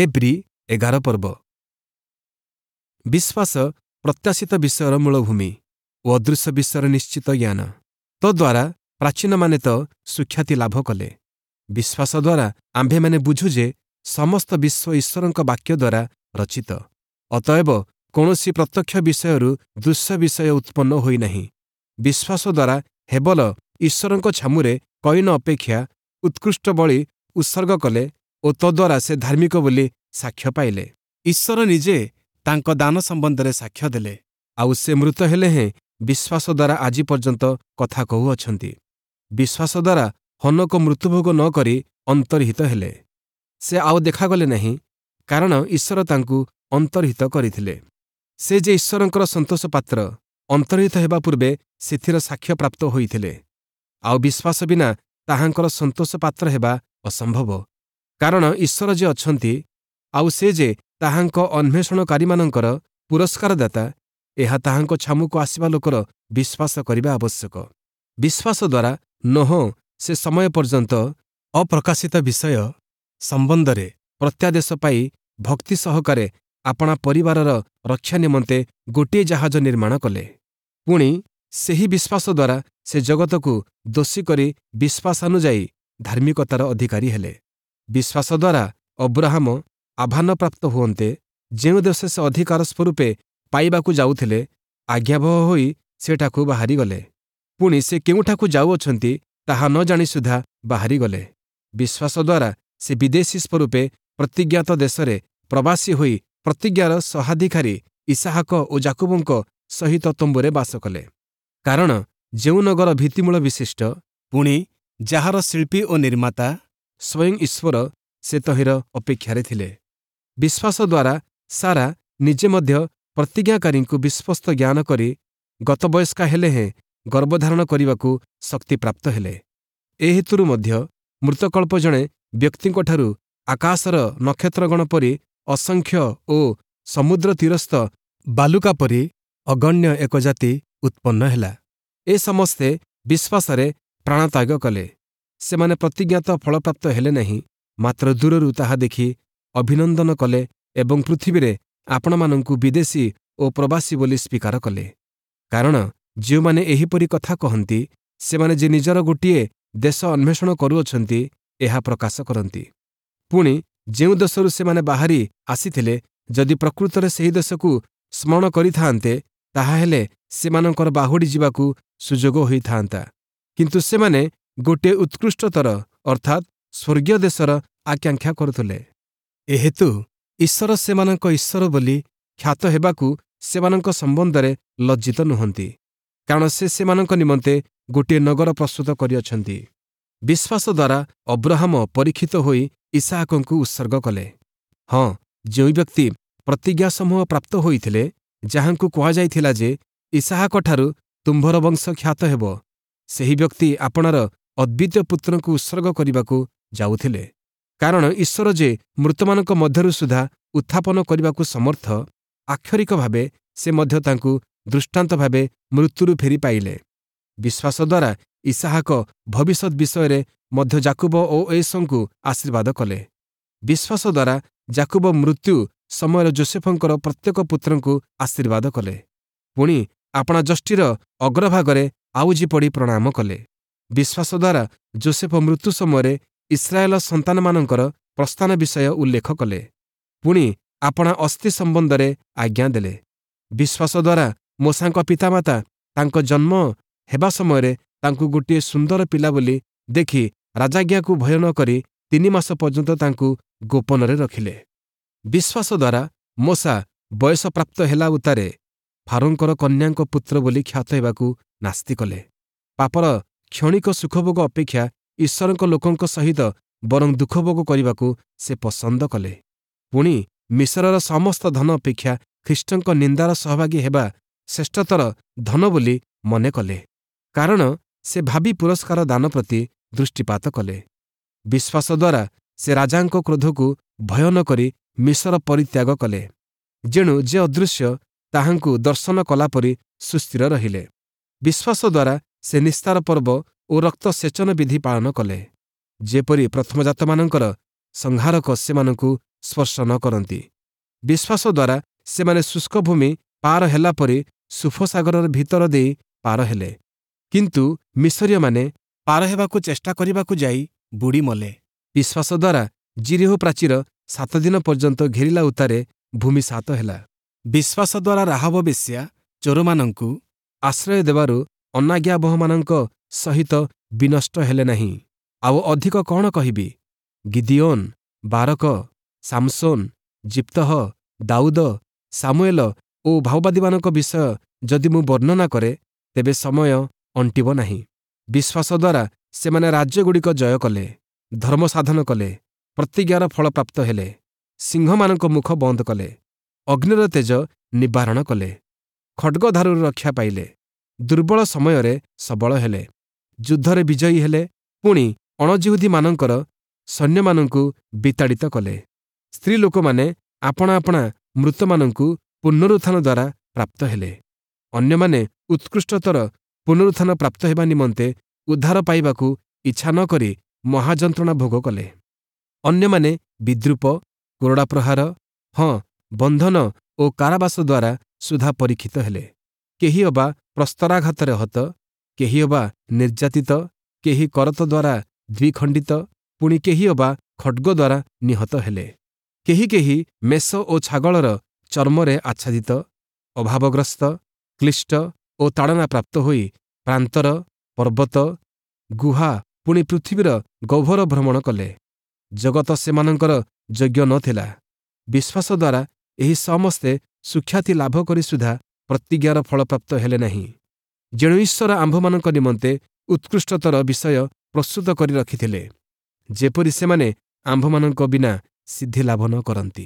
ଏବ୍ରୀ 11 ପର୍ବ। ବିଶ୍ୱାସ ପ୍ରତ୍ୟାଶିତ ବିଷୟର ମୂଳଭୂମି ଓ ଅଦୃଶ୍ୟ ବିଷୟର ନିଶ୍ଚିତ ଜ୍ଞାନ। ତଦ୍ୱାରା ପ୍ରାଚୀନମାନେ ତ ସୁଖ୍ୟାତି ଲାଭ କଲେ। ବିଶ୍ୱାସ ଦ୍ୱାରା ଆମ୍ଭେମାନେ ବୁଝୁ ଯେ ସମସ୍ତ ବିଶ୍ୱ ଈଶ୍ୱରଙ୍କ ବାକ୍ୟ ଦ୍ୱାରା ରଚିତ, ଅତଏବ କୌଣସି ପ୍ରତ୍ୟକ୍ଷ ବିଷୟରୁ ଦୃଶ୍ୟ ବିଷୟ ଉତ୍ପନ୍ନ ହୋଇନାହିଁ। ବିଶ୍ୱାସ ଦ୍ୱାରା ହେବଲ ଈଶ୍ୱରଙ୍କ ଛାମୁରେ କଇନ ଅପେକ୍ଷା ଉତ୍କୃଷ୍ଟ ବଳି ଉତ୍ସର୍ଗ କଲେ ଓ ତଦ୍ୱାରା ସେ ଧାର୍ମିକ ବୋଲି ସାକ୍ଷ୍ୟ ପାଇଲେ। ଈଶ୍ୱର ନିଜେ ତାଙ୍କ ଦାନ ସମ୍ବନ୍ଧରେ ସାକ୍ଷ୍ୟ ଦେଲେ, ଆଉ ସେ ମୃତ ହେଲେ ହେଁ ବିଶ୍ୱାସ ଦ୍ୱାରା ଆଜି ପର୍ଯ୍ୟନ୍ତ କଥା କହୁଅଛନ୍ତି। ବିଶ୍ୱାସ ଦ୍ୱାରା ହନୋକ ମୃତ୍ୟୁଭୋଗ ନ କରି ଅନ୍ତର୍ହିତ ହେଲେ। ସେ ଆଉ ଦେଖାଗଲେ ନାହିଁ, କାରଣ ଈଶ୍ୱର ତାଙ୍କୁ ଅନ୍ତର୍ହିତ କରିଥିଲେ। ସେ ଯେ ଈଶ୍ୱରଙ୍କର ସନ୍ତୋଷ ପାତ୍ର, ଅନ୍ତର୍ହିତ ହେବା ପୂର୍ବେ ସେଥିର ସାକ୍ଷ୍ୟ ପ୍ରାପ୍ତ ହୋଇଥିଲେ। ଆଉ ବିଶ୍ୱାସ ବିନା ତାହାଙ୍କର ସନ୍ତୋଷ ପାତ୍ର ହେବା ଅସମ୍ଭବ, କାରଣ ଈଶ୍ୱର ଯେ ଅଛନ୍ତି, ଆଉ ସେ ଯେ ତାହାଙ୍କ ଅନ୍ୱେଷଣକାରୀମାନଙ୍କର ପୁରସ୍କାରଦାତା, ଏହା ତାହାଙ୍କ ଛାମୁକୁ ଆସିବା ଲୋକର ବିଶ୍ୱାସ କରିବା ଆବଶ୍ୟକ। ବିଶ୍ୱାସ ଦ୍ୱାରା ନୋହ ସେ ସମୟ ପର୍ଯ୍ୟନ୍ତ ଅପ୍ରକାଶିତ ବିଷୟ ସମ୍ବନ୍ଧରେ ପ୍ରତ୍ୟାଦେଶ ପାଇ ଭକ୍ତି ସହକାରେ ଆପଣା ପରିବାରର ରକ୍ଷା ନିମନ୍ତେ ଗୋଟିଏ ଜାହାଜ ନିର୍ମାଣ କଲେ। ପୁଣି ସେହି ବିଶ୍ୱାସ ଦ୍ୱାରା ସେ ଜଗତକୁ ଦୋଷୀ କରି ବିଶ୍ୱାସାନୁଯାୟୀ ଧାର୍ମିକତାର ଅଧିକାରୀ ହେଲେ। ବିଶ୍ୱାସ ଦ୍ୱାରା ଅବ୍ରାହମ ଆହ୍ୱାନପ୍ରାପ୍ତ ହୁଅନ୍ତେ ଯେଉଁ ଦେଶ ସେ ଅଧିକାର ସ୍ୱରୂପେ ପାଇବାକୁ ଯାଉଥିଲେ, ଆଜ୍ଞାବହ ହୋଇ ସେଠାକୁ ବାହାରିଗଲେ। ପୁଣି ସେ କେଉଁଠାକୁ ଯାଉଅଛନ୍ତି, ତାହା ନ ଜାଣି ସୁଦ୍ଧା ବାହାରିଗଲେ। ବିଶ୍ୱାସ ଦ୍ୱାରା ସେ ବିଦେଶୀ ସ୍ୱରୂପେ ପ୍ରତିଜ୍ଞାତ ଦେଶରେ ପ୍ରବାସୀ ହୋଇ ପ୍ରତିଜ୍ଞାର ସହାଧିକାରୀ ଇସାହାକ ଓ ଜାକୁବଙ୍କ ସହିତ ତମ୍ବୁରେ ବାସ କଲେ, କାରଣ ଯେଉଁ ନଗର ଭିତ୍ତିମୂଳ ବିଶିଷ୍ଟ, ପୁଣି ଯାହାର ଶିଳ୍ପୀ ଓ ନିର୍ମାତା ସ୍ୱୟଂ ଈଶ୍ୱର, ସେ ତହିଁର ଅପେକ୍ଷାରେ ଥିଲେ। ବିଶ୍ୱାସ ଦ୍ୱାରା ସାରା ନିଜେ ମଧ୍ୟ ପ୍ରତିଜ୍ଞାକାରୀଙ୍କୁ ବିଶ୍ୱସ୍ତ ଜ୍ଞାନ କରି ଗତବୟସ୍କା ହେଲେ ହେଁ ଗର୍ଭଧାରଣ କରିବାକୁ ଶକ୍ତିପ୍ରାପ୍ତ ହେଲେ। ଏ ହେତୁରୁ ମଧ୍ୟ ମୃତକଳ୍ପ ଜଣେ ବ୍ୟକ୍ତିଙ୍କଠାରୁ ଆକାଶର ନକ୍ଷତ୍ରଗଣ ପରି ଅସଂଖ୍ୟ ଓ ସମୁଦ୍ର ତୀରସ୍ଥ ବାଲୁକା ପରି ଅଗଣ୍ୟ ଏକ ଜାତି ଉତ୍ପନ୍ନ ହେଲା। ଏ ସମସ୍ତେ ବିଶ୍ୱାସରେ ପ୍ରାଣତ୍ୟାଗ କଲେ। ସେମାନେ ପ୍ରତିଜ୍ଞାତ ଫଳପ୍ରାପ୍ତ ହେଲେ ନାହିଁ, ମାତ୍ର ଦୂରରୁ ତାହା ଦେଖି ଅଭିନନ୍ଦନ କଲେ ଏବଂ ପୃଥିବୀରେ ଆପଣମାନଙ୍କୁ ବିଦେଶୀ ଓ ପ୍ରବାସୀ ବୋଲି ସ୍ୱୀକାର କଲେ। କାରଣ ଯେଉଁମାନେ ଏହିପରି କଥା କହନ୍ତି, ସେମାନେ ଯେ ନିଜର ଗୋଟିଏ ଦେଶ ଅନ୍ୱେଷଣ କରୁଅଛନ୍ତି, ଏହା ପ୍ରକାଶ କରନ୍ତି। ପୁଣି ଯେଉଁ ଦେଶରୁ ସେମାନେ ବାହାରି ଆସିଥିଲେ, ଯଦି ପ୍ରକୃତରେ ସେହି ଦେଶକୁ ସ୍ମରଣ କରିଥାନ୍ତେ, ତାହାହେଲେ ସେମାନଙ୍କର ବାହୁଡ଼ି ଯିବାକୁ ସୁଯୋଗ ହୋଇଥାନ୍ତା। କିନ୍ତୁ ସେମାନେ ଗୋଟିଏ ଉତ୍କୃଷ୍ଟତର, ଅର୍ଥାତ୍ ସ୍ୱର୍ଗୀୟ ଦେଶର ଆକାଂକ୍ଷା କରୁଥିଲେ। ଏହେତୁ ଈଶ୍ୱର ସେମାନଙ୍କ ଈଶ୍ୱର ବୋଲି ଖ୍ୟାତ ହେବାକୁ ସେମାନଙ୍କ ସମ୍ବନ୍ଧରେ ଲଜ୍ଜିତ ନୁହନ୍ତି, କାରଣ ସେ ସେମାନଙ୍କ ନିମନ୍ତେ ଗୋଟିଏ ନଗର ପ୍ରସ୍ତୁତ କରିଅଛନ୍ତି। ବିଶ୍ୱାସ ଦ୍ୱାରା ଅବ୍ରାହମ ପରୀକ୍ଷିତ ହୋଇ ଇସାହାକଙ୍କୁ ଉତ୍ସର୍ଗ କଲେ। ହଁ, ଯେଉଁ ବ୍ୟକ୍ତି ପ୍ରତିଜ୍ଞା ସମୂହ ପ୍ରାପ୍ତ ହୋଇଥିଲେ, ଯାହାଙ୍କୁ କୁହାଯାଇଥିଲା ଯେ ଇସାହାକଠାରୁ ତୁମ୍ଭର ବଂଶ ଖ୍ୟାତ ହେବ, ସେହି ବ୍ୟକ୍ତି ଆପଣାର ଅଦ୍ୱିତୀୟ ପୁତ୍ରଙ୍କୁ ଉତ୍ସର୍ଗ କରିବାକୁ ଯାଉଥିଲେ। କାରଣ ଈଶ୍ୱର ଯେ ମୃତମାନଙ୍କ ମଧ୍ୟରୁ ସୁଦ୍ଧା ଉତ୍ଥାପନ କରିବାକୁ ସମର୍ଥ, ଆକ୍ଷରିକ ଭାବେ ସେ ମଧ୍ୟ ତାଙ୍କୁ ଦୃଷ୍ଟାନ୍ତ ଭାବେ ମୃତ୍ୟୁରୁ ଫେରି ପାଇଲେ। ବିଶ୍ୱାସ ଦ୍ୱାରା ଇସାହାକ ଭବିଷ୍ୟତ ବିଷୟରେ ମଧ୍ୟ ଜାକୁବ ଓ ଏଷଙ୍କୁ ଆଶୀର୍ବାଦ କଲେ। ବିଶ୍ୱାସ ଦ୍ୱାରା ଜାକୁବ ମୃତ୍ୟୁ ସମୟରେ ଜୋସେଫଙ୍କର ପ୍ରତ୍ୟେକ ପୁତ୍ରଙ୍କୁ ଆଶୀର୍ବାଦ କଲେ, ପୁଣି ଆପଣା ଯଷ୍ଟିର ଅଗ୍ରଭାଗରେ ଆଉଜି ପଡ଼ି ପ୍ରଣାମ କଲେ। ବିଶ୍ୱାସ ଦ୍ୱାରା ଜୋସେଫ ମୃତ୍ୟୁ ସମୟରେ ଇସ୍ରାଏଲ ସନ୍ତାନମାନଙ୍କର ପ୍ରସ୍ଥାନ ବିଷୟ ଉଲ୍ଲେଖ କଲେ, ପୁଣି ଆପଣା ଅସ୍ଥି ସମ୍ବନ୍ଧରେ ଆଜ୍ଞା ଦେଲେ। ବିଶ୍ୱାସ ଦ୍ୱାରା ମୋଶାଙ୍କ ପିତାମାତା ତାଙ୍କ ଜନ୍ମ ହେବା ସମୟରେ ତାଙ୍କୁ ଗୋଟିଏ ସୁନ୍ଦର ପିଲା ବୋଲି ଦେଖି ରାଜାଜ୍ଞାକୁ ଭୟ ନ କରି 3 ମାସ ପର୍ଯ୍ୟନ୍ତ ତାଙ୍କୁ ଗୋପନରେ ରଖିଲେ। ବିଶ୍ୱାସ ଦ୍ୱାରା ମୋଶା ବୟସପ୍ରାପ୍ତ ହେଲା ଉତ୍ତାରେ ଫାରୋଙ୍କର କନ୍ୟାଙ୍କ ପୁତ୍ର ବୋଲି ଖ୍ୟାତ ହେବାକୁ ନାସ୍ତି କଲେ। ପାପର କ୍ଷଣିକ ସୁଖଭୋଗ ଅପେକ୍ଷା ଈଶ୍ୱରଙ୍କ ଲୋକଙ୍କ ସହିତ ବରଂ ଦୁଃଖଭୋଗ କରିବାକୁ ସେ ପସନ୍ଦ କଲେ। ପୁଣି ମିଶରର ସମସ୍ତ ଧନ ଅପେକ୍ଷା ଖ୍ରୀଷ୍ଟଙ୍କ ନିନ୍ଦାର ସହଭାଗୀ ହେବା ଶ୍ରେଷ୍ଠତର ଧନ ବୋଲି ମନେ କଲେ, କାରଣ ସେ ଭାବି ପୁରସ୍କାର ଦାନ ପ୍ରତି ଦୃଷ୍ଟିପାତ କଲେ। ବିଶ୍ୱାସ ଦ୍ୱାରା ସେ ରାଜାଙ୍କ କ୍ରୋଧକୁ ଭୟ ନ କରି ମିଶର ପରିତ୍ୟାଗ କଲେ, ଯେଣୁ ଯେ ଅଦୃଶ୍ୟ ତାହାଙ୍କୁ ଦର୍ଶନ କଲାପରି ସୁସ୍ଥିର ରହିଲେ। ବିଶ୍ୱାସ ଦ୍ୱାରା ସେ ନିସ୍ତାର ପର୍ବ ଓ ରକ୍ତ ସେଚନ ବିଧି ପାଳନ କଲେ, ଯେପରି ପ୍ରଥମଜାତମାନଙ୍କର ସଂହାରକ ସେମାନଙ୍କୁ ସ୍ପର୍ଶ ନ କରନ୍ତି। ବିଶ୍ୱାସ ଦ୍ୱାରା ସେମାନେ ଶୁଷ୍କ ଭୂମି ପାର ହେଲା ପରି ସୁଫସାଗରର ଭିତର ଦେଇ ପାର ହେଲେ। କିନ୍ତୁ ମିଶରୀୟମାନେ ପାର ହେବାକୁ ଚେଷ୍ଟା କରିବାକୁ ଯାଇ ବୁଡ଼ି ମଲେ। ବିଶ୍ୱାସ ଦ୍ୱାରା ଯିରୀହୋ ପ୍ରାଚୀର 7 ଦିନ ପର୍ଯ୍ୟନ୍ତ ଘେରିଲା ଉତ୍ତାରେ ଭୂମିସାତ ହେଲା। ବିଶ୍ୱାସ ଦ୍ୱାରା ରାହାବ ବେଶ୍ୟା ଚୋରମାନଙ୍କୁ ଆଶ୍ରୟ ଦେବାରୁ ଅନାଜ୍ଞାବହମାନଙ୍କ ସହିତ ବିନଷ୍ଟ ହେଲେ ନାହିଁ। ଆଉ ଅଧିକ କ'ଣ କହିବି? ଗିଦିୟୋନ୍, ବାରକ, ସାମସୋନ୍, ଯିପ୍ତହ, ଦାଉଦ, ସାମୁଏଲ ଓ ଭାବବାଦୀମାନଙ୍କ ବିଷୟ ଯଦି ମୁଁ ବର୍ଣ୍ଣନା କରେ, ତେବେ ସମୟ ଅଣ୍ଟିବ ନାହିଁ। ବିଶ୍ୱାସ ଦ୍ୱାରା ସେମାନେ ରାଜ୍ୟଗୁଡ଼ିକ ଜୟ କଲେ, ଧର୍ମ ସାଧନ କଲେ, ପ୍ରତିଜ୍ଞାର ଫଳ ପ୍ରାପ୍ତ ହେଲେ, ସିଂହମାନଙ୍କ ମୁଖ ବନ୍ଦ କଲେ, ଅଗ୍ନିର ତେଜ ନିବାରଣ କଲେ, ଖଡ଼୍ଗଧାରୁରୁ ରକ୍ଷା ପାଇଲେ, ଦୁର୍ବଳ ସମୟରେ ସବଳ ହେଲେ, ଯୁଦ୍ଧରେ ବିଜୟୀ ହେଲେ, ପୁଣି ଅଣଯିହୁଦୀମାନଙ୍କର ସୈନ୍ୟମାନଙ୍କୁ ବିତାଡ଼ିତ କଲେ। ସ୍ତ୍ରୀ ଲୋକମାନେ ଆପଣା ଆପଣା ମୃତମାନଙ୍କୁ ପୁନରୁତ୍ଥାନ ଦ୍ୱାରା ପ୍ରାପ୍ତ ହେଲେ। ଅନ୍ୟମାନେ ଉତ୍କୃଷ୍ଟତର ପୁନରୁତ୍ଥାନ ପ୍ରାପ୍ତ ହେବା ନିମନ୍ତେ ଉଦ୍ଧାର ପାଇବାକୁ ଇଚ୍ଛା ନ କରି ମହାଯନ୍ତ୍ରଣା ଭୋଗ କଲେ। ଅନ୍ୟମାନେ ବିଦ୍ରୂପ, କୋରଡ଼ା ପ୍ରହାର, ହଁ, ବନ୍ଧନ ଓ କାରାବାସ ଦ୍ୱାରା ସୁଦ୍ଧା ପରୀକ୍ଷିତ ହେଲେ। କେହି ଅବା ପ୍ରସ୍ତରାଘାତରେ ହତ, କେହି ଅବା ନିର୍ଯାତିତ, କେହି କରତ ଦ୍ୱାରା ଦ୍ୱିଖଣ୍ଡିତ, ପୁଣି କେହି ଅବା ଖଡ଼୍ଗ ଦ୍ୱାରା ନିହତ ହେଲେ। କେହି କେହି ମେଷ ଓ ଛାଗଳର ଚର୍ମରେ ଆଚ୍ଛାଦିତ, ଅଭାବଗ୍ରସ୍ତ, କ୍ଳିଷ୍ଟ ଓ ତାଡ଼ନା ପ୍ରାପ୍ତ ହୋଇ ପ୍ରାନ୍ତର, ପର୍ବତ, ଗୁହା, ପୁଣି ପୃଥିବୀର ଗହ୍ୱର ଭ୍ରମଣ କଲେ। ଜଗତ ସେମାନଙ୍କର ଯୋଗ୍ୟ ନ ଥିଲା। ବିଶ୍ୱାସ ଦ୍ୱାରା ଏହି ସମସ୍ତେ ସୁଖ୍ୟାତି ଲାଭ କରି ସୁଦ୍ଧା ପ୍ରତିଜ୍ଞାର ଫଳପ୍ରାପ୍ତ ହେଲେ ନାହିଁ। ଯେଣୁ ଈଶ୍ୱର ଆମ୍ଭମାନଙ୍କ ନିମନ୍ତେ ଉତ୍କୃଷ୍ଟତର ବିଷୟ ପ୍ରସ୍ତୁତ କରି ରଖିଥିଲେ, ଯେପରି ସେମାନେ ଆମ୍ଭମାନଙ୍କ ବିନା ସିଦ୍ଧି ଲାଭ ନ କରନ୍ତି।